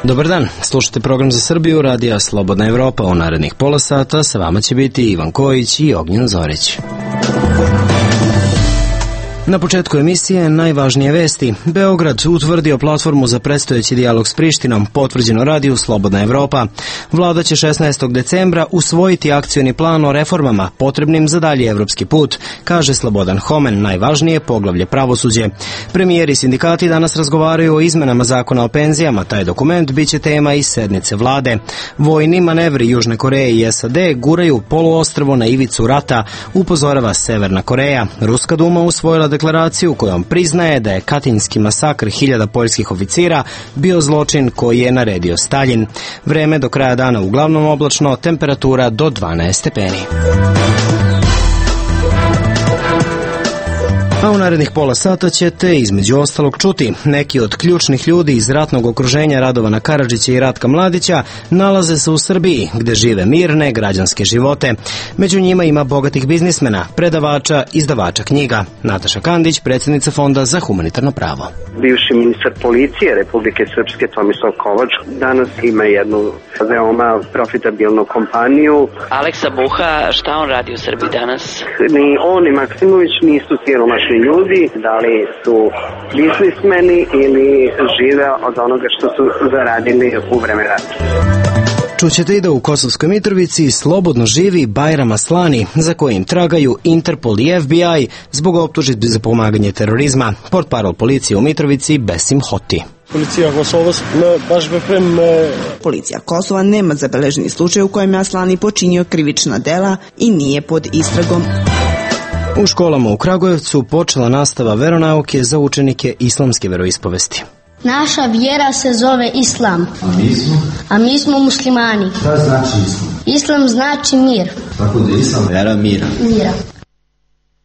Dobar dan, slušate program za Srbiju, radija Slobodna Evropa. U narednih pola sata sa vama će biti Ivan Kojić i Ognjen Zorić. Na početku emisije najvažnije vesti. Beograd utvrdio platformu za predstojeći dijalog s Prištinom, potvrđeno radiju Slobodna Evropa. Vlada će 16. decembra usvojiti akcioni plan o reformama potrebnim za dalji evropski put, kaže Slobodan Homen, najvažnije poglavlje pravosuđe. Premijeri i sindikati danas razgovaraju o izmenama zakona o penzijama. Taj dokument biće tema i sednice vlade. Vojni manevri Južne Koreje i SAD guraju poluostrvo na ivicu rata, upozorava Severna Koreja. Ruska duma usvojila deklaraciju kojom priznaje da je katinski masakr 1000 poljskih oficira bio zločin koji je naredio Staljin. Vreme do kraja dana uglavnom oblačno, temperatura do 12 stepeni. A u narednih pola sata ćete između ostalog čuti neki od ključnih ljudi iz ratnog okruženja Radovana Karadžića i Ratka Mladića nalaze se u Srbiji, gde žive mirne građanske živote. Među njima ima bogatih biznismena, predavača, izdavača knjiga. Nataša Kandić, predsjednica Fonda za humanitarno pravo. Bivši ministar policije Republike Srpske Tomislav Kovač danas ima jednu veoma profitabilnu kompaniju. Aleksa Buha, šta on radi u Srbiji danas? Ni on ni Maksimović nisu siromašni ljudi, da li su biznismeni ili žive od onoga što su zaradili u vreme rata. Čućete i da u Kosovskoj Mitrovici slobodno živi Bajram Aslani, za kojim tragaju Interpol i FBI zbog optužitbi za pomaganje terorizma. Portparol policije u Mitrovici Besim Hoti. Policija Kosova nema zabeleženi slučaj u kojem je Aslani počinio krivična dela i nije pod istragom. U školama u Kragujevcu počela nastava veronauke za učenike islamske veroispovesti. Naša vjera se zove Islam. A mi smo muslimani. Šta znači Islam? Islam znači mir. Tako da je Islam vera mira.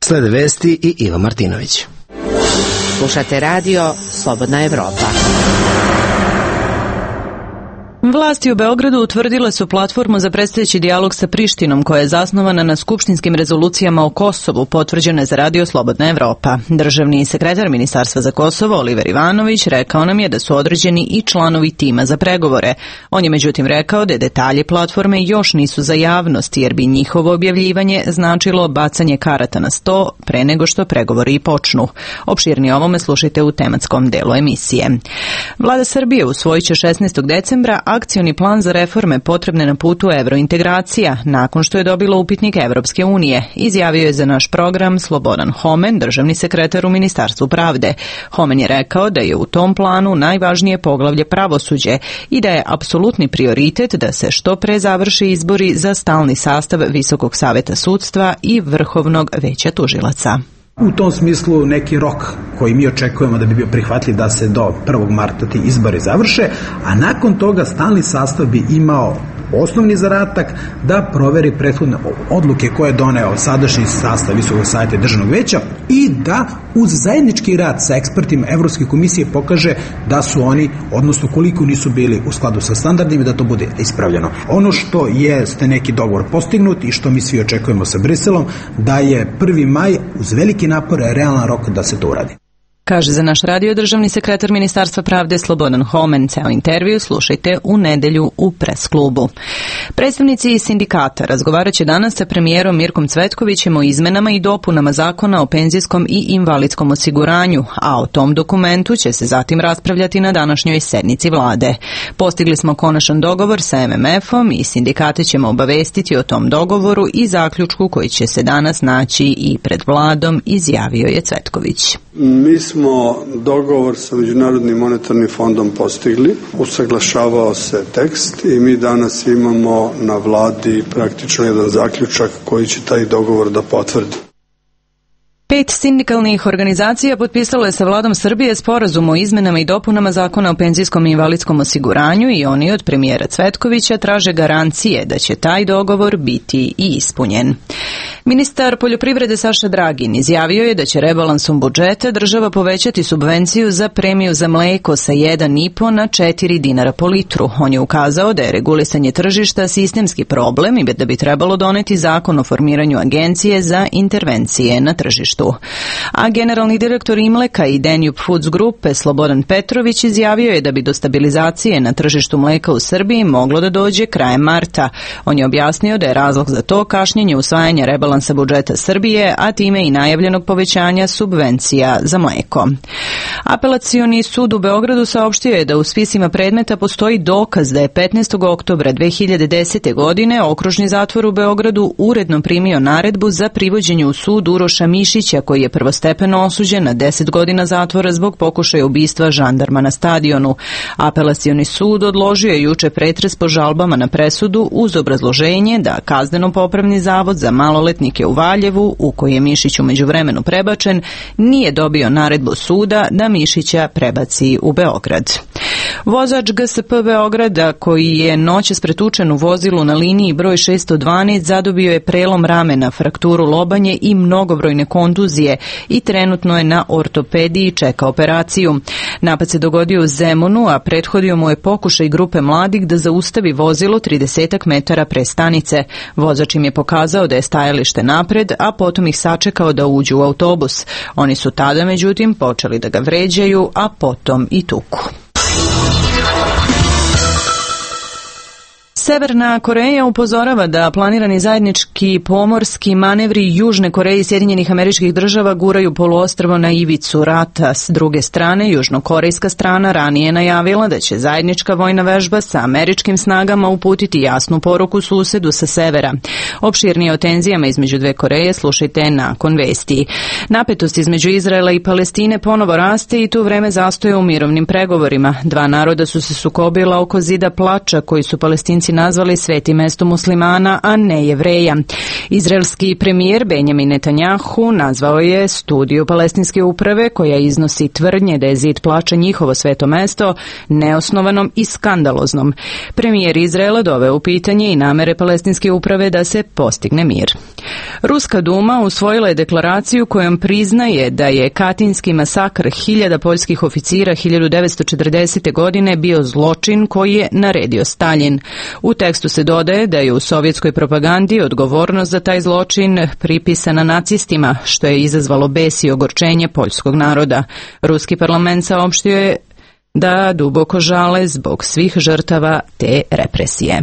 Slede vesti i Iva Martinović. Slušate radio Slobodna Evropa. Vlasti u Beogradu utvrdile su platformu za predstojeći dijalog sa Prištinom koja je zasnovana na skupštinskim rezolucijama o Kosovu, potvrđene za radio Slobodna Evropa. Državni sekretar Ministarstva za Kosovo Oliver Ivanović rekao nam je da su određeni i članovi tima za pregovore. On je međutim rekao da detalji platforme još nisu za javnost jer bi njihovo objavljivanje značilo bacanje karata na sto pre nego što pregovori i počnu. Opširnije ovome slušajte u tematskom delu emisije. Vlada Srbije usvojit će 16. decembra akcioni plan za reforme potrebne na putu evrointegracija, nakon što je dobilo upitnik Evropske unije, izjavio je za naš program Slobodan Homen, državni sekretar u Ministarstvu pravde. Homen je rekao da je u tom planu najvažnije poglavlje pravosuđe i da je apsolutni prioritet da se što pre završi izbori za stalni sastav Visokog saveta sudstva i Vrhovnog veća tužilaca. U tom smislu neki rok koji mi očekujemo da bi bio prihvatljiv da se do 1. marta ti izbori završe, a nakon toga stalni sastav bi imao osnovni zadatak da proveri prethodne odluke koje je doneo sadašnji sastav Visokog saveta državnog veća i da uz zajednički rad sa ekspertima Evropske komisije pokaže da su oni, odnosno koliko nisu bili u skladu sa standardima, da to bude ispravljeno. Ono što jeste neki dogovor postignut i što mi svi očekujemo sa Briselom, da je 1. maj uz veliki napor realan rok da se to uradi. Kaže za naš radio državni sekretar Ministarstva pravde Slobodan Homen. Ceo intervju slušajte u nedelju u Pres klubu. Predstavnici sindikata razgovarat će danas sa premijerom Mirkom Cvetkovićem o izmenama i dopunama zakona o penzijskom i invalidskom osiguranju, a o tom dokumentu će se zatim raspravljati na današnjoj sednici vlade. Postigli smo konačan dogovor sa MMF-om i sindikate ćemo obavestiti o tom dogovoru i zaključku koji će se danas naći i pred vladom, izjavio je Cvetković. Mi smo dogovor sa Međunarodnim monetarnim fondom postigli, usaglašavao se tekst i mi danas imamo na vladi praktično jedan zaključak koji će taj dogovor da potvrdi. 5 sindikalnih organizacija potpisalo je sa vladom Srbije sporazum o izmenama i dopunama zakona o penzijskom i invalidskom osiguranju i oni od premijera Cvetkovića traže garancije da će taj dogovor biti i ispunjen. Ministar poljoprivrede Saša Dragin izjavio je da će rebalansom budžeta država povećati subvenciju za premiju za mleko sa 1,5 na 4 dinara po litru. On je ukazao da je regulisanje tržišta sistemski problem i da bi trebalo doneti zakon o formiranju agencije za intervencije na tržištu. tržištu. A generalni direktor Imleka i Danube Foods grupe Slobodan Petrović izjavio je da bi do stabilizacije na tržištu mleka u Srbiji moglo da dođe krajem marta. On je objasnio da je razlog za to kašnjenje usvajanja rebalansa budžeta Srbije, a time i najavljenog povećanja subvencija za mleko. Apelacioni sud u Beogradu saopštio je da u spisima predmeta postoji dokaz da je 15. oktobra 2010. godine okružni zatvor u Beogradu uredno primio naredbu za privođenje u sud Uroša Mišića, koji je prvostepeno osuđen na 10 godina zatvora zbog pokušaja ubistva žandarma na stadionu. Apelacioni sud odložio je juče pretres po žalbama na presudu uz obrazloženje da Kazneno-popravni zavod za maloletnike u Valjevu, u koji je Mišić u međuvremenu prebačen, nije dobio naredbu suda da Mišića prebaci u Beograd. Vozač GSP Beograda, koji je noćas pretučen u vozilu na liniji broj 612, zadobio je prelom ramena, frakturu lobanje i mnogobrojne kontuzije i trenutno je na ortopediji, čeka operaciju. Napad se dogodio u Zemunu, a prethodio mu je pokušaj grupe mladih da zaustavi vozilo 30 metara pre stanice. Vozač im je pokazao da je stajalište napred, a potom ih sačekao da uđu u autobus. Oni su tada, međutim, počeli da ga vređaju, a potom i tuku. Severna Koreja upozorava da planirani zajednički pomorski manevri Južne Koreje i Sjedinjenih Američkih Država guraju poluostrvo na ivicu rata. S druge strane, južnokorejska strana ranije je najavila da će zajednička vojna vežba sa američkim snagama uputiti jasnu poruku susedu sa severa. Opširnije o tenzijama između dve Koreje slušajte nakon vesti. Napetost između Izraela i Palestine ponovo raste i tu vreme zastoje u mirovnim pregovorima. Dva naroda su se sukobila oko zida plača koji su Palestinci nazvali svetim mestom muslimana, a ne Jevreja. Izraelski premijer Benjamin Netanjahu nazvao je studiju palestinske uprave, koja iznosi tvrdnje da je zid plača njihovo sveto mesto, neosnovanom i skandaloznom. Premijer Izraela doveo u pitanje i namere palestinske uprave da se postigne mir. Ruska Duma usvojila je deklaraciju kojom priznaje da je Katinski masakr 1000 poljskih oficira 1940. godine bio zločin koji je naredio Staljin. U tekstu se dodaje da je u sovjetskoj propagandi odgovornost za taj zločin pripisana nacistima, što je izazvalo bes i ogorčenje poljskog naroda. Ruski parlament saopštio je da duboko žale zbog svih žrtava te represije.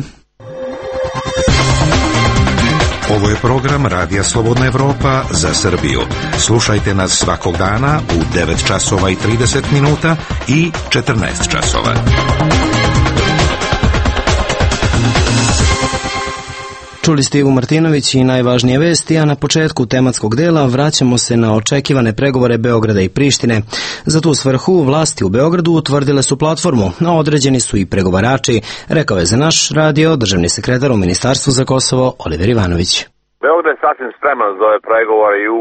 Ovo je program Radija Slobodna Evropa za Srbiju. Slušajte nas svakog dana u 9 časova i 30 minuta i 14 časova. Čuli ste Ivu Martinović i najvažnije vesti, a na početku tematskog dela vraćamo se na očekivane pregovore Beograda i Prištine. Za tu svrhu vlasti u Beogradu utvrdile su platformu, a određeni su i pregovarači, rekao je za naš radio državni sekretar u Ministarstvu za Kosovo Oliver Ivanović. Beograd je sasvim spreman za ove pregovore i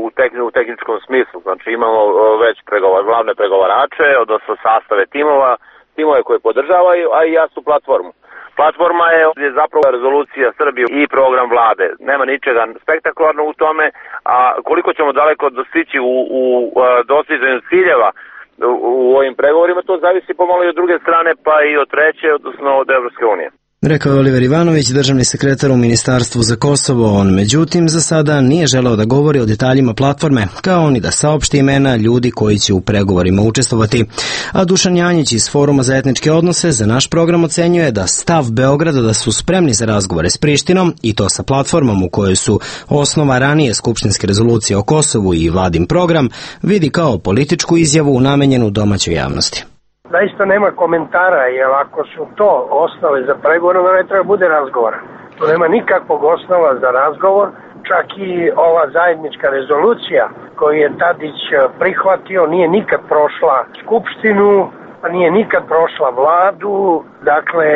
u tehničkom smislu. Znači imamo već glavne pregovarače, odnosno sastave timove koje podržavaju, a i jasnu platformu. Platforma je zapravo rezolucija Srbije i program vlade. Nema ničega spektakularno u tome, a koliko ćemo daleko dostići u dostizanju ciljeva u ovim pregovorima, to zavisi pomalo i od druge strane, pa i od treće, odnosno od Evropske unije. Rekao je Oliver Ivanović, državni sekretar u Ministarstvu za Kosovo. On, međutim, za sada nije želeo da govori o detaljima platforme, kao ni da saopšti imena ljudi koji će u pregovorima učestvovati. A Dušan Janjić iz Foruma za etničke odnose za naš program ocenjuje da stav Beograda da su spremni za razgovore s Prištinom, i to sa platformom u kojoj su osnova ranije skupštinske rezolucije o Kosovu i vladin program, vidi kao političku izjavu namenjenu domaćoj javnosti. Zaista nema komentara, jer ako su to osnove za pregovor, onda ne treba bude razgovora. Tu nema nikakvog osnova za razgovor, čak i ova zajednička rezolucija koju je Tadić prihvatio nije nikad prošla Skupštinu, nije nikad prošla vladu, dakle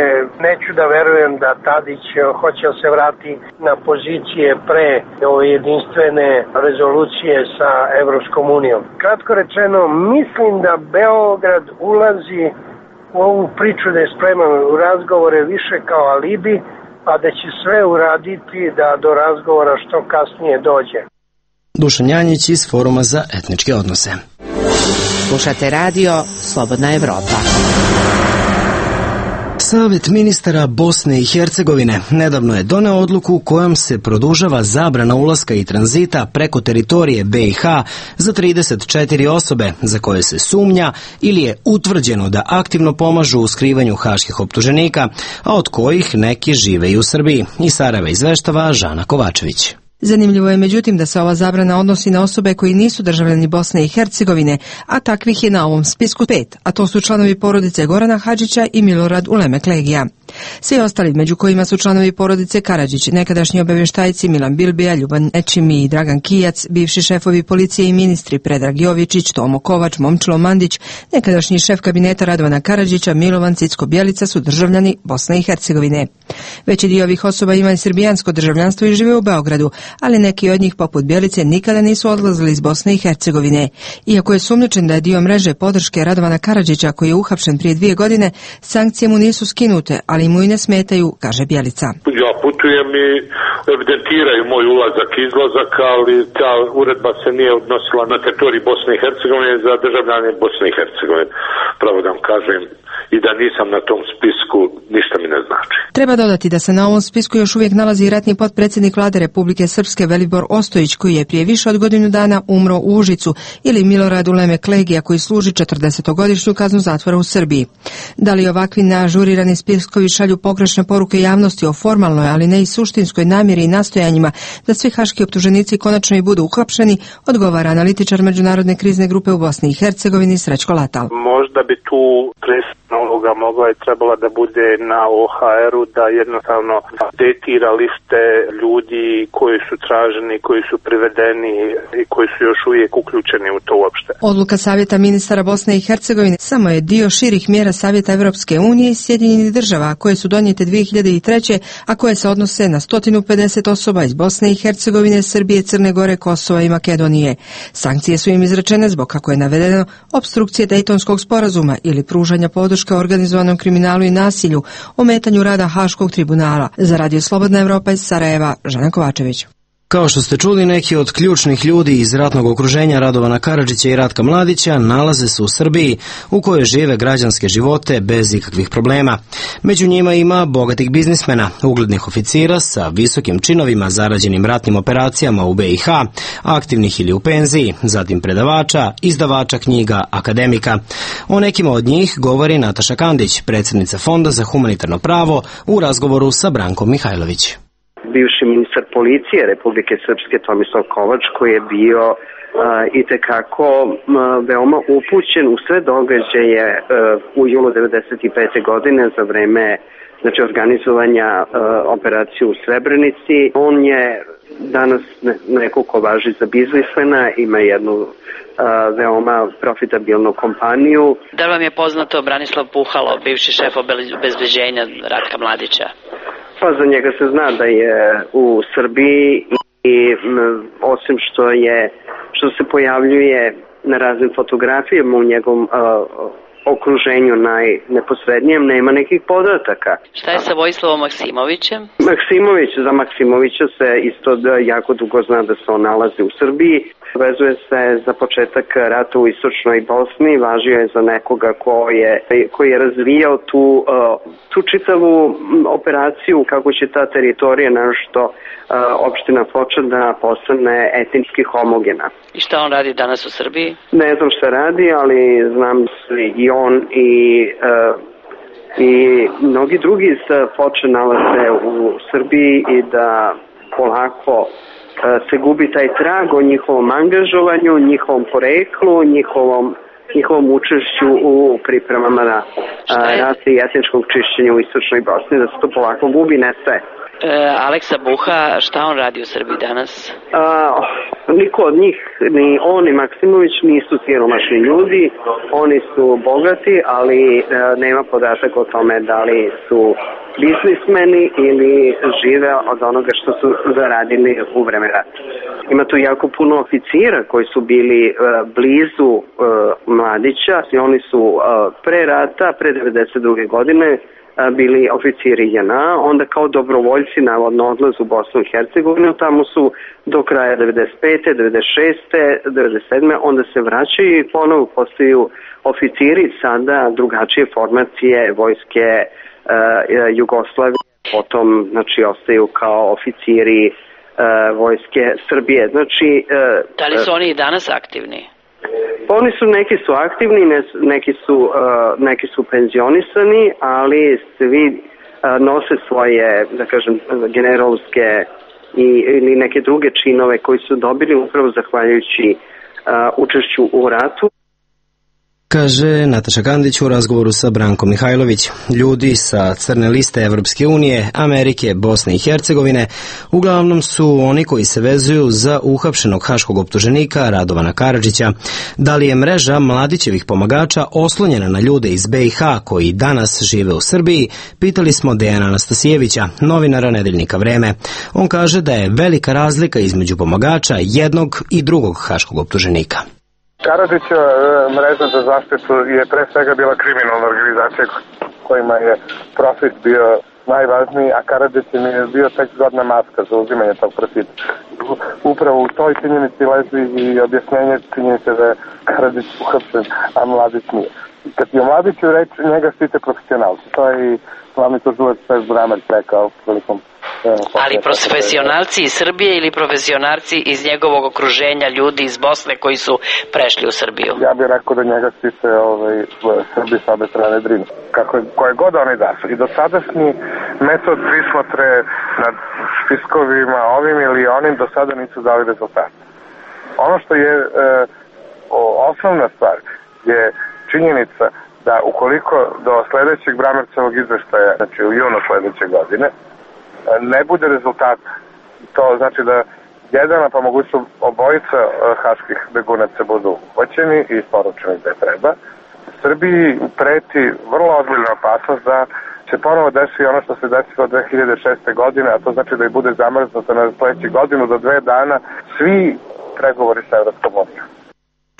neću da verujem da Tadić hoće da se vrati na pozicije pre ove jedinstvene rezolucije sa Evropskom unijom. Kratko rečeno, mislim da Beograd ulazi u ovu priču da je spreman u razgovore više kao alibi, a da će sve uraditi da do razgovora što kasnije dođe. Dušan Janjić iz Foruma za etničke odnose. Slušate radio Slobodna Evropa. Savet ministara Bosne i Hercegovine nedavno je doneo odluku kojom se produžava zabrana ulaska i tranzita preko teritorije BiH za 34 osobe za koje se sumnja ili je utvrđeno da aktivno pomažu u skrivanju haških optuženika, a od kojih neki žive i u Srbiji. Iz Sarajeva izveštava Žana Kovačević. Zanimljivo je međutim da se ova zabrana odnosi na osobe koji nisu državljani Bosne i Hercegovine, a takvih je na ovom spisku 5, a to su članovi porodice Gorana Hadžića i Milorad Ulemek Legija. Svi ostali, među kojima su članovi porodice Karadžić, nekadašnji obavještajci Milan Bilbija, Ljuban Ečimi i Dragan Kijac, bivši šefovi policije i ministri Predrag Jovičić, Tomo Kovač, Momčilo Mandić, nekadašnji šef kabineta Radovana Karadžića, Milovan Cicko-Bjelica su državljani Bosne i Hercegovine. Veći dio ovih osoba ima i srbijansko državljanstvo i žive u Beogradu, ali neki od njih poput Bjelice nikada nisu odlazili iz Bosne i Hercegovine. Iako je sumnjičen da je dio mreže podrške Radovana Karadžića koji je uhapšen prije 2 godine, sankcije mu nisu skinute, ali mu i ne smetaju, kaže Bjelica. Ja putujem i evidentiraju moj ulazak i izlazak, ali ta uredba se nije odnosila na teritoriji Bosne i Hercegovine za državljane Bosne i Hercegovine. Pravo da vam kažem, i da nisam na tom spisku, ništa mi ne znači. Treba dodati da se na ovom spisku još uvijek nalazi i ratni potpredsjednik vlade Republike Srpske Velibor Ostojić, koji je prije više od godinu dana umro u Užicu, ili Milorad Ulemek Legija, koji služi 40-godišnju kaznu zatvora u Srbiji. Da li ovakvi neažurirani spiskovi šalju pogrešne poruke javnosti o formalnoj, ali ne i suštinskoj namjeri i nastojanjima da svi haški optuženici konačno i budu uhapšeni, odgovara analitičar Međunarodne krizne grupe u Bosni i Hercegovini Srećko Latal. Možda bi tu uloga mogla i trebala da bude na OHR-u da jednostavno updatira liste ljudi koji su traženi, koji su privedeni i koji su još uvijek uključeni u to uopšte. Odluka Savjeta ministara Bosne i Hercegovine samo je dio širih mjera Savjeta Evropske unije i Sjedinjenih država koje su donijete 2003. a koje se odnose na 150 osoba iz Bosne i Hercegovine, Srbije, Crne Gore, Kosova i Makedonije. Sankcije su im izrečene zbog, kako je navedeno, opstrukcije Dejtonskog sporazuma ili pružanja podrške organizovanom kriminalu i nasilju, ometanju rada Haškog tribunala. Za Radio Slobodna Evropa iz Sarajeva, Žana Kovačević. Kao što ste čuli, neki od ključnih ljudi iz ratnog okruženja Radovana Karadžića i Ratka Mladića nalaze se u Srbiji, u kojoj žive građanske živote bez ikakvih problema. Među njima ima bogatih biznismena, uglednih oficira sa visokim činovima zarađenim ratnim operacijama u BiH, aktivnih ili u penziji, zatim predavača, izdavača knjiga, akademika. O nekima od njih govori Nataša Kandić, predsjednica Fonda za humanitarno pravo, u razgovoru sa Brankom Mihajlović. Bivši ministar policije Republike Srpske Tomislav Kovač, koji je bio itekako veoma upućen u sve događaje u julu 1995. godine za vreme organizovanja operacije u Srebrenici. On je danas neko ko važi za biznismena, ima jednu veoma profitabilnu kompaniju. Da li vam je poznato Branislav Puhalo, bivši šef obezbeđenja Ratka Mladića? Pa za njega se zna da je u Srbiji i osim što se pojavljuje na raznim fotografijama u njegovom okruženju najneposrednijem, nema nekih podataka. Šta je sa Vojislavom Maksimovićem? Za Maksimovića se isto jako dugo zna da se on nalazi u Srbiji. Vezuje se za početak rata u istočnoj Bosni, važio je za nekoga koji je razvijao tu čitavu operaciju kako će ta teritorija, našto opština Foča, da postane etnički homogena. I šta on radi danas u Srbiji? Ne znam šta radi, ali znam i on i mnogi drugi iz Foče nalaze u Srbiji i da polako se gubi taj trag o njihovom angažovanju, njihovom poreklu, njihovom učešću u pripremama na rata i etničkog čišćenja u istočnoj Bosni, da se to polako gubi, nestaje. Aleksa Buha, šta on radi u Srbiji danas? Niko od njih, ni on ni Maksimović nisu siromašni ljudi, oni su bogati, ali nema podatak o tome da li su biznismeni ili žive od onoga što su zaradili u vreme rata. Ima tu jako puno oficira koji su bili blizu Mladića i oni su pre rata, pre 1992. godine, bili oficiri JNA, onda kao dobrovoljci navodno odlaze u Bosnu i Hercegovinu, tamo su do kraja 95. 96. 97. onda se vraćaju i ponovo postaju oficiri, sada drugačije formacije vojske Jugoslavije, potom znači ostaju kao oficiri vojske Srbije. Znači, da li su oni i danas aktivni? Oni su, neki su aktivni, neki su penzionisani, ali svi nose svoje, da kažem, generalske ili neke druge činove koji su dobili upravo zahvaljujući učešću u ratu. Kaže Nataša Kandić u razgovoru sa Brankom Mihajlović. Ljudi sa crne liste Evropske unije, Amerike, Bosne i Hercegovine uglavnom su oni koji se vezuju za uhapšenog haškog optuženika Radovana Karadžića. Da li je mreža Mladićevih pomagača oslonjena na ljude iz BiH koji danas žive u Srbiji, pitali smo Dejana Anastasijevića, novinara nedeljnika Vreme. On kaže da je velika razlika između pomagača jednog i drugog haškog optuženika. Karadžićeva mreža za zaštitu je pre svega bila kriminalna organizacija kojima je profit bio najvažniji, a Karadžić je bio tek zgodna maska za uzimanje tog profita. Upravo u toj činjenici leži i objašnjenje činjenice da je Karadžić uhapšen, a Mladić nije. Kad je Mladiću reč, njega štite profesionalci. To je i glavni tužilac Pes Bramarić rekao prilikom. Ali profesionalci iz Srbije ili profesionalci iz njegovog okruženja, ljudi iz Bosne koji su prešli u Srbiju? Ja bih rekao da njega štite Srbi sa obe strane Drine. Koje god oni da su. I dosadašnji metod prismotre nad spiskovima ovim ili onim do sada nisu dali rezultat. Ono što je osnovna stvar je činjenica da ukoliko do sledećeg Bramercevog izveštaja, znači u junu sledeće godine, ne bude rezultat, to znači da jedan, a pa mogućno obojica haških begunaca budu uhoćeni i isporučeni gde treba. Srbiji preti vrlo ozbiljna opasnost da će ponovo desiti ono što se desilo 2006. godine, a to znači da i bude zamrznuto na sledećih godinu do 2 dana svi pregovori sa Evropskom unijom.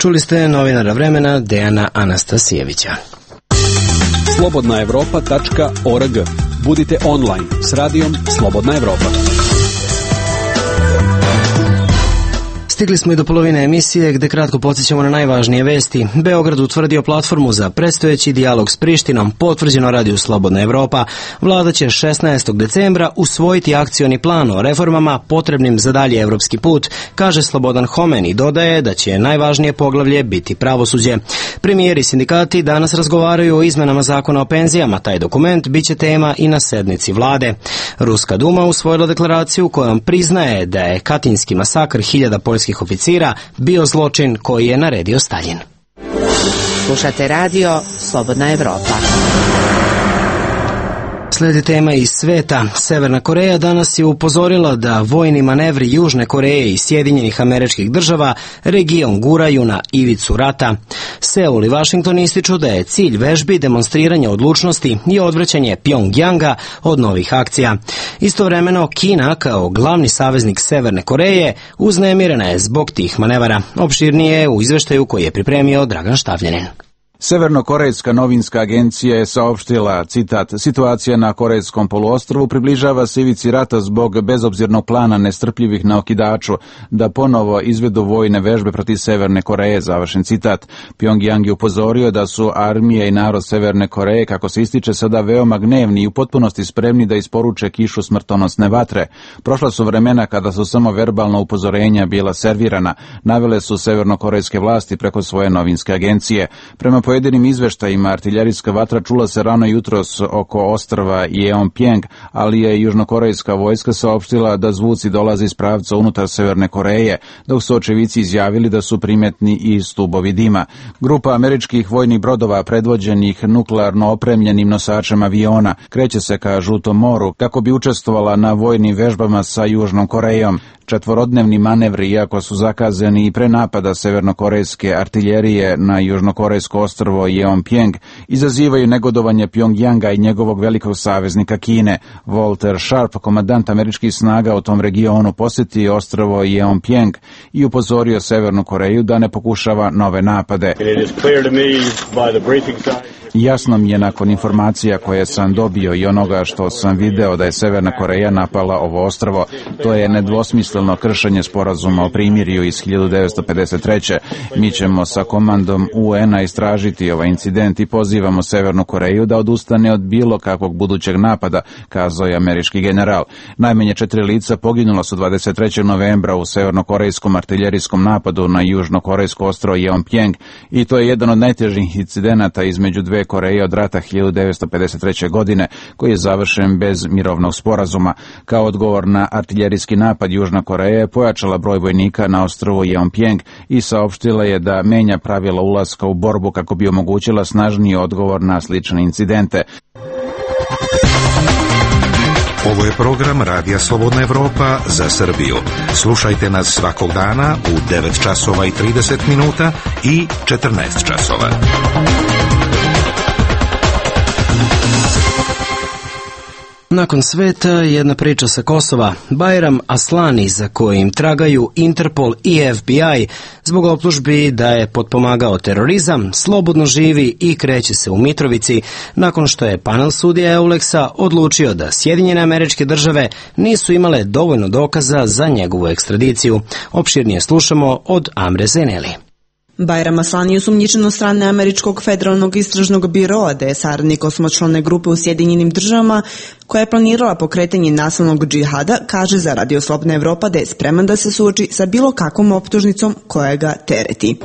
Čuli ste novinara Vremena Dejana Anastasijevića. Slobodnaevropa.org. Budite online s radijom Slobodna Evropa. Stigli smo i do polovine emisije gde kratko podsjećamo na najvažnije vesti. Beograd utvrdio platformu za predstojeći dijalog s Prištinom, potvrđeno radiju Slobodna Evropa. Vlada će 16. decembra usvojiti akcioni plan o reformama potrebnim za dalje evropski put, kaže Slobodan Homen i dodaje da će najvažnije poglavlje biti pravosuđe. Premijeri i sindikati danas razgovaraju o izmenama zakona o penzijama. Taj dokument biće tema i na sednici vlade. Ruska Duma usvojila deklaraciju kojom priznaje da je katinski masakr 1000 poljskih oficira bio zločin koji je naredio Staljin. Slušate radio Slobodna Evropa. Sledi tema iz sveta. Severna Koreja danas je upozorila da vojni manevri Južne Koreje i Sjedinjenih Američkih Država region guraju na ivicu rata. Seul i Washington ističu da je cilj vežbi demonstriranje odlučnosti i odvraćanje Pjongjanga od novih akcija. Istovremeno, Kina, kao glavni saveznik Severne Koreje, uznemirena je zbog tih manevara. Opširnije u izveštaju koji je pripremio Dragan Štavljanin. Severnokorejska novinska agencija je saopštila, citat, situacija na Korejskom poluostrvu približava se ivici rata zbog bezobzirnog plana nestrpljivih na okidaču da ponovo izvedu vojne vežbe protiv Severne Koreje, završen citat. Pjongjang je upozorio da su armije i narod Severne Koreje, kako se ističe, sada veoma gnevni i u potpunosti spremni da isporuče kišu smrtonosne vatre. Prošla su vremena kada su samo verbalna upozorenja bila servirana, navele su severnokorejske vlasti preko svoje novinske agencije. Prema pojedinim izveštajima, artiljerijska vatra čula se rano jutros oko ostrva Jeonpjeng, ali je južnokorejska vojska saopštila da zvuci dolaze iz pravca unutar Severne Koreje, dok su očevici izjavili da su primetni i stubovi dima. Grupa američkih vojnih brodova predvođenih nuklearno opremljenim nosačem aviona kreće se ka Žutom moru kako bi učestvovala na vojnim vežbama sa Južnom Korejom. Četvorodnevni manevri, iako su zakazani i pre napada severnokorejske artiljerije na južnokorejsko ostrvo Jeonpjeng, izazivaju negodovanje Pjongjanga i njegovog velikog saveznika Kine. Walter Sharp, komandant američkih snaga u tom regionu, posjetio ostrvo Jeonpjeng i upozorio Severnu Koreju da ne pokušava nove napade. Jasno mi je nakon informacija koje sam dobio i onoga što sam video da je Severna Koreja napala ovo ostrvo, to je nedvosmisleno kršenje sporazuma o primirju iz 1953. Mi ćemo sa komandom UN-a istražiti ovaj incident i pozivamo Severnu Koreju da odustane od bilo kakvog budućeg napada, kazao je američki general. Najmanje 4 lica poginula su 23. novembra u severnokorejskom artiljerijskom napadu na južnokorejsko ostrvo Yeonpjang i to je jedan od najtežih incidenata između dve Koreje od rata 1953. godine, koji je završen bez mirovnog sporazuma. Kao odgovor na artiljerijski napad, Južna Koreja je pojačala broj vojnika na ostrvu Yeonpjang i saopštila je da menja pravila ulaska u borbu kako bi omogućila snažniji odgovor na slične incidente. Ovo je program Radija Slobodna Evropa za Srbiju. Slušajte nas svakog dana u 9 časova i 30 minuta i 14 časova. Nakon sveta, jedna priča sa Kosova. Bajram Aslani, za kojim tragaju Interpol i FBI zbog optužbi da je potpomagao terorizam, slobodno živi i kreće se u Mitrovici nakon što je panel sudija Euleksa odlučio da Sjedinjene Američke Države nisu imale dovoljno dokaza za njegovu ekstradiciju. Opširnije slušamo od Amre Zeneli. Bajram Aslani je osumnjičen od strane Američkog federalnog istražnog biroa da je saradnik osmočlane grupe u Sjedinjenim Državama koja je planirala pokretanje nasilnog džihada, kaže za Radio Slobodna Evropa da je spreman da se suoči sa bilo kakvom optužnicom koja ga tereti.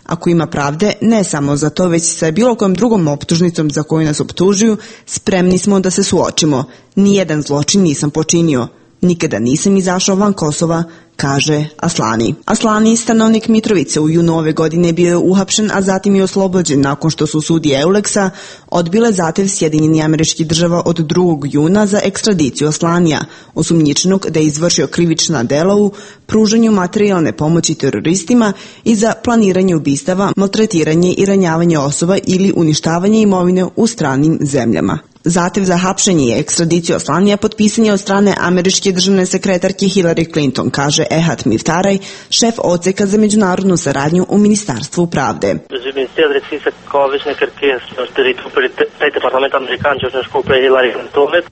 Ako ima pravde, ne samo za to, već sa bilo kojom drugom optužnicom za koju nas optužuju, spremni smo da se suočimo. Nijedan zločin nisam počinio. Nikada nisam izašao van Kosova, kaže Aslani. Aslani, stanovnik Mitrovice, u junu ove godine bio je uhapšen, a zatim je oslobođen nakon što su sudije Euleksa odbile zahtev Sjedinjenih Američkih Država od 2. juna za ekstradiciju Aslanija, osumnjičenog da je izvršio krivična dela u pružanju materijalne pomoći teroristima i za planiranje ubistava, maltretiranje i ranjavanje osoba ili uništavanje imovine u stranim zemljama. Zahtev za hapšenje i ekstradiciju Aslanija potpisan je od strane američke državne sekretarke Hillary Clinton, kaže Ehad Miftaraj, šef odseka za međunarodnu saradnju u Ministarstvu pravde.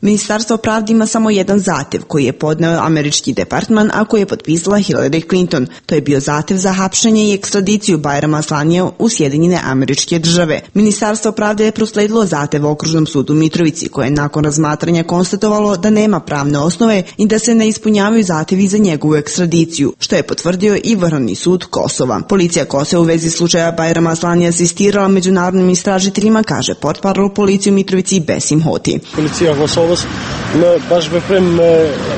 Ministarstvo pravde ima samo jedan zahtev koji je podneo američki departman, a koji je potpisala Hillary Clinton. To je bio zahtev za hapšenje i ekstradiciju Bajrama Aslanija u Sjedinjene Američke Države. Ministarstvo pravde je prosledilo zahtev Okružnom sudu Mitrovici, koje je nakon razmatranja konstatovalo da nema pravne osnove i da se ne ispunjavaju zahtevi za njegovu ekstradiciju, što je potvrdio i Vrhovni sud Kosova. Policija Kosova u vezi slučaja Bajrama Aslanija asistirala međunarodnim istražiteljima, kaže portparol policije u Mitrovici Besim Hoti. Policija Kosova baš veprem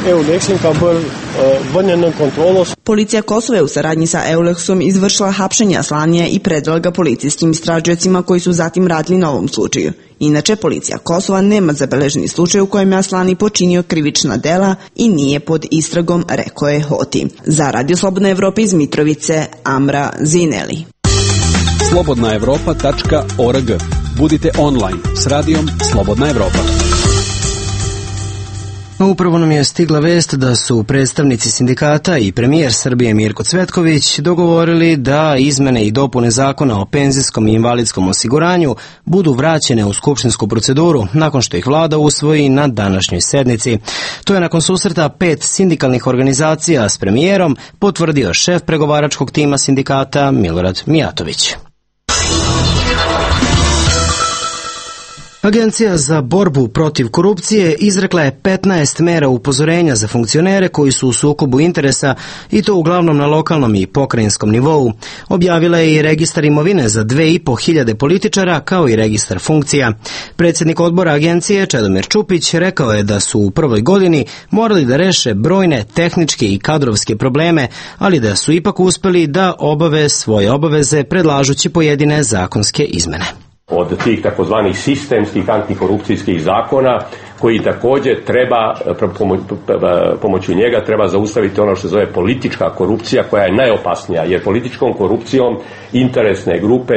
Euleksin ka bër vënien në kontrolës. Policija Kosova je u saradnji sa Euleksom izvršila hapšenje Aslanija i predala ga policijskim istražiocima koji su zatim radili na ovom slučaju. Inače, policija Kosova nema zabeleženi slučaj u kojem je Aslani počinio krivična dela i nije pod istragom, rekao je Hoti. Za Radio Slobodna Evropa iz Mitrovice, Amra Zineli. slobodnaevropa.org. Budite online s radijom Slobodna Evropa. Upravo nam je stigla vest da su predstavnici sindikata i premijer Srbije Mirko Cvetković dogovorili da izmene i dopune zakona o penzijskom i invalidskom osiguranju budu vraćene u skupštinsku proceduru nakon što ih vlada usvoji na današnjoj sednici. To je nakon susreta 5 sindikalnih organizacija s premijerom potvrdio šef pregovaračkog tima sindikata Milorad Mijatović. Agencija za borbu protiv korupcije izrekla je 15 mera upozorenja za funkcionere koji su u sukobu interesa i to uglavnom na lokalnom i pokrajinskom nivou. Objavila je i registar imovine za 2500 političara kao i registar funkcija. Predsjednik odbora agencije Čedomir Čupić rekao je da su u prvoj godini morali da reše brojne tehničke i kadrovske probleme, ali da su ipak uspeli da obave svoje obaveze predlažući pojedine zakonske izmene. Od tih takozvanih sistemskih antikorupcijskih zakona koji također treba, pomoću njega treba zaustaviti ono što se zove politička korupcija, koja je najopasnija, jer političkom korupcijom interesne grupe,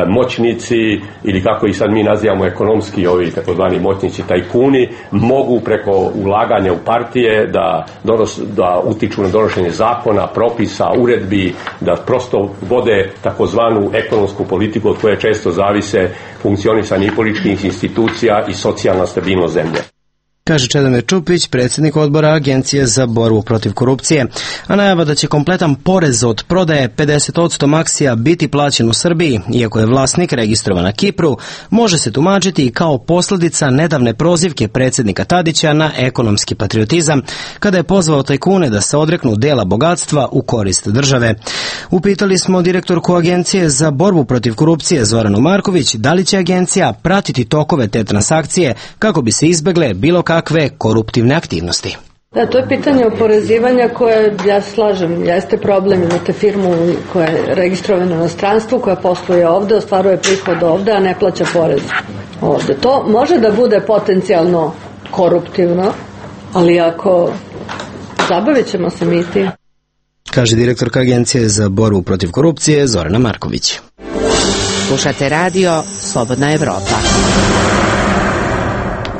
moćnici ili kako ih sad mi nazivamo ekonomski, ovi takozvani moćnici tajkuni, mogu preko ulaganja u partije da utiču na donošenje zakona, propisa, uredbi, da prosto vode takozvanu ekonomsku politiku od koje često zavise funkcionisanje i političkih institucija i socijalna stabilnost zemlje. Kaže Čedomir Čupić, predsjednik odbora Agencije za borbu protiv korupcije, a najava da će kompletan porez od prodaje 50% akcija biti plaćen u Srbiji, iako je vlasnik registrovan na Kipru, može se tumačiti i kao posljedica nedavne prozivke predsjednika Tadića na ekonomski patriotizam, kada je pozvao tajkune da se odreknu dela bogatstva u korist države. Upitali smo direktorku Agencije za borbu protiv korupcije Zoranu Marković da li će agencija pratiti tokove te transakcije kako bi se izbegle bilo kakve koruptivne aktivnosti. Da, to je pitanje oporezivanja koje, ja slažem, jeste problem. Imate firmu koja je registrovana u inostranstvu, koja posluje ovde, ostvaruje prihod ovde, a ne plaća porez ovde. To može da bude potencijalno koruptivno, ali ako zabavit ćemo se mi tim. Kaže direktorka Agencije za borbu protiv korupcije Zorana Marković. Slušate radio Slobodna Evropa.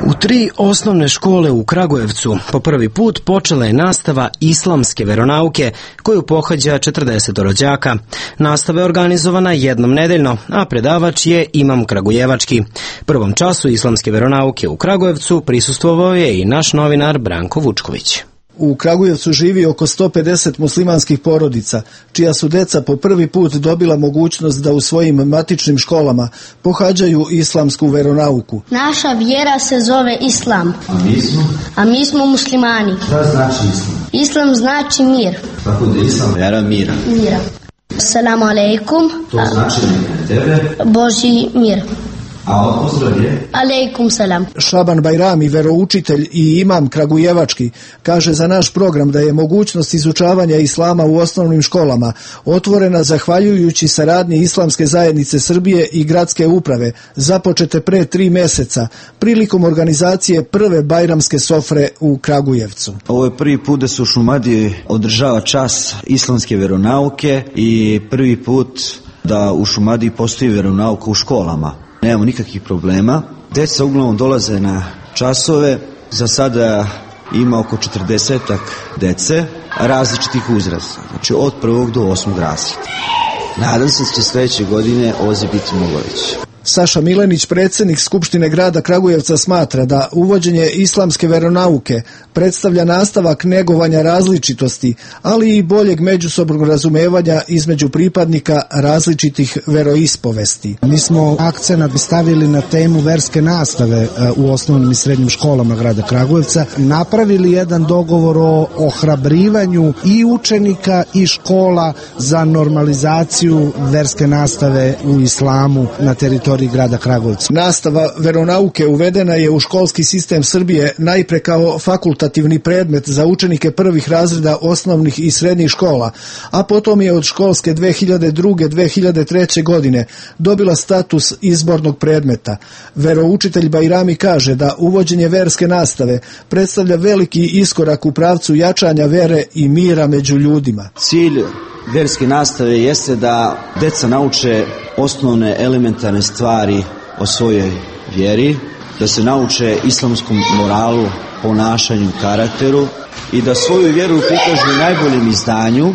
U 3 osnovne škole u Kragujevcu po prvi put počela je nastava islamske veronauke koju pohađa 40 đaka. Nastava je organizovana jednom nedeljno, a predavač je imam kragujevački. Prvom času islamske veronauke u Kragujevcu prisustvovao je i naš novinar Branko Vučković. U Kragujevcu živi oko 150 muslimanskih porodica, čija su deca po prvi put dobila mogućnost da u svojim matičnim školama pohađaju islamsku veronauku. Naša vjera se zove Islam. A mi smo muslimani. Šta znači Islam? Islam znači mir. Tako da Islam vjera mira. Assalamu alaikum. To znači na tebe. Božji mir. A pozdrav je? Alejkum salam. Šaban Bajrami, veroučitelj i imam kragujevački, kaže za naš program da je mogućnost izučavanja islama u osnovnim školama otvorena zahvaljujući saradnji Islamske zajednice Srbije i gradske uprave, započete pre 3 meseca, prilikom organizacije prve bajramske sofre u Kragujevcu. Ovo je prvi put da se u Šumadiji održava čas islamske veronauke i prvi put da u Šumadiji postoji veronauka u školama. Nemamo nikakvih problema. Deca uglavnom dolaze na časove. Za sada ima oko 40 dece različitih uzrasta. Znači od 1. do 8. razreda. Nadam se da će sljedeće godine ovo biti mnogo veće. Saša Milenić, predsjednik Skupštine grada Kragujevca, smatra da uvođenje islamske veronauke predstavlja nastavak negovanja različitosti, ali i boljeg međusobnog razumevanja između pripadnika različitih veroispovesti. Mi smo akcenat stavili na temu verske nastave u osnovnim i srednjim školama grada Kragujevca, napravili jedan dogovor o ohrabrivanju i učenika i škola za normalizaciju verske nastave u islamu na teritoriji grada Kragujevca. Nastava veronauke uvedena je u školski sistem Srbije najpre kao fakultativni predmet za učenike prvih razreda osnovnih i srednjih škola, a potom je od školske 2002-2003. godine dobila status izbornog predmeta. Veroučitelj Bajrami kaže da uvođenje verske nastave predstavlja veliki iskorak u pravcu jačanja vere i mira među ljudima. Cilj verske nastave jeste da deca nauče osnovne elementarne stvari o svojoj vjeri, da se nauče islamskom moralu, ponašanju, karakteru i da svoju vjeru prikažu u najboljem izdanju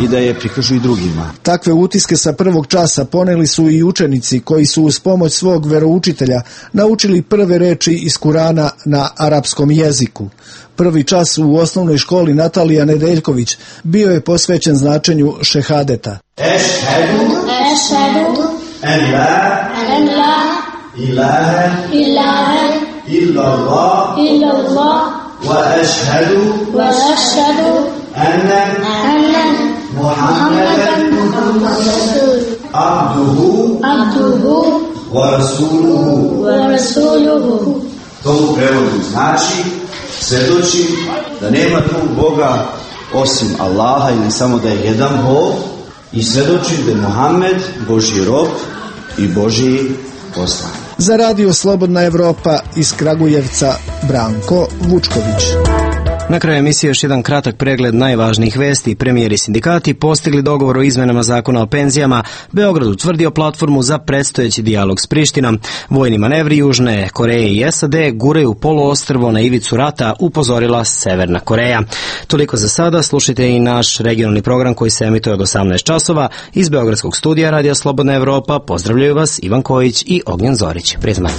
i da je prikažu i drugima. Takve utiske sa prvog časa poneli su i učenici koji su uz pomoć svog veroučitelja naučili prve reči iz Kurana na arapskom jeziku. Prvi čas u osnovnoj školi Natalija Nedeljković bio je posvećen značenju šehadeta. Ešhedu en la ilaha illallah wa ešhedu anna Muhammadan abduhu wa rasuluhu. To u prevodu znači svjedočim da nema drugog Boga osim Allaha ili samo da je jedan Bog i svjedočim da je Muhammed Božji rob i Božji poslanik. Za radio Slobodna Evropa iz Kragujevca Branko Vučković. Na kraju emisije još jedan kratak pregled najvažnijih vesti. Premijeri sindikati postigli dogovor o izmenama zakona o penzijama. Beograd utvrdio platformu za predstojeći dijalog s Prištinom. Vojni manevri Južne Koreje i SAD guraju poluostrvo na ivicu rata, upozorila Severna Koreja. Toliko za sada. Slušajte i naš regionalni program koji se emituje od 18 časova. Iz Beogradskog studija Radija Slobodna Evropa pozdravljaju vas Ivan Kojić i Ognjen Zorić. Prijatno.